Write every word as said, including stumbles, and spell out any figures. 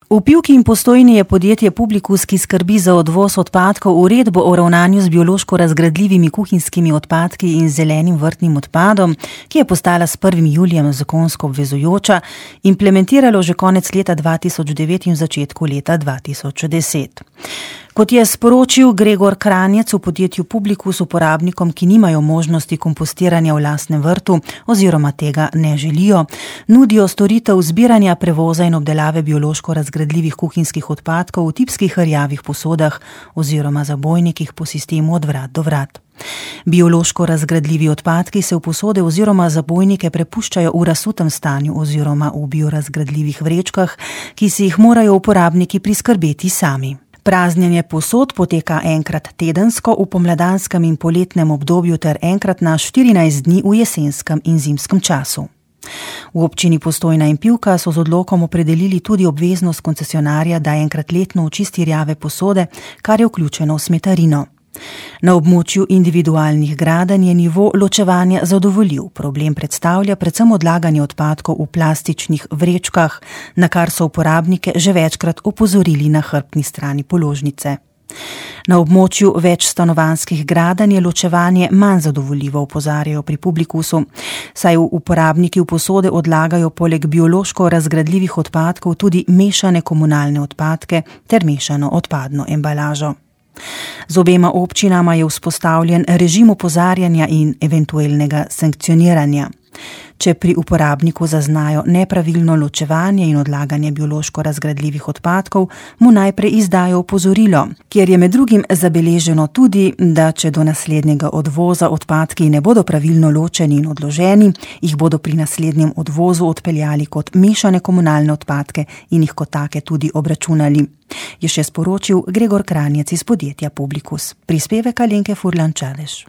V Pivki in Postojni je podjetje Publikus, ki skrbi za odvoz odpadkov, uredbo o ravnanju z biološko razgradljivimi kuhinjskimi odpadki in zelenim vrtnim odpadom, ki je postala s prvim julijem zakonsko obvezujoča, implementiralo že konec leta dva tisoč devet in v začetku leta dva tisoč deset. Kot je sporočil Gregor Kranjec, v podjetju Publikus uporabnikom, ki nimajo možnosti kompostiranja v lastnem vrtu oziroma tega ne želijo, nudijo storitev zbiranja, prevoza in obdelave biološko razgradljivih kuhinjskih odpadkov v tipskih rjavih posodah oziroma zabojnikih po sistemu od vrat do vrat. Biološko razgradljivi odpadki se v posode oziroma zabojnike prepuščajo v razsutem stanju oziroma v biorazgradljivih vrečkah, ki si jih morajo uporabniki priskrbeti sami. Praznjenje posod poteka enkrat tedensko v pomladanskem in poletnem obdobju ter enkrat na štirinajst dni v jesenskem in zimskem času. V občini Postojna in Pivka so z odlokom opredelili tudi obveznost koncesionarja, da enkrat letno očisti rjave posode, kar je vključeno v smetarino. Na območju individualnih gradenj je nivo ločevanja zadovoljiv. Problem predstavlja predvsem odlaganje odpadkov v plastičnih vrečkah, na kar so uporabnike že večkrat opozorili na hrbtni strani položnice. Na območju večstanovanjskih gradenj je ločevanje manj zadovoljivo, opozarjajo pri Publikusu, saj uporabniki v posode odlagajo poleg biološko razgradljivih odpadkov tudi mešane komunalne odpadke ter mešano odpadno embalažo. Z obema občinama je vzpostavljen režim opozarjanja in eventualnega sankcioniranja. Če pri uporabniku zaznajo nepravilno ločevanje in odlaganje biološko razgradljivih odpadkov, mu najprej izdajo opozorilo, kjer je med drugim zabeleženo tudi, da če do naslednjega odvoza odpadki ne bodo pravilno ločeni in odloženi, jih bodo pri naslednjem odvozu odpeljali kot mešane komunalne odpadke in jih kot take tudi obračunali, je še sporočil Gregor Kranjec iz podjetja Publikus. Prispevek Alenke Furlan Čadež.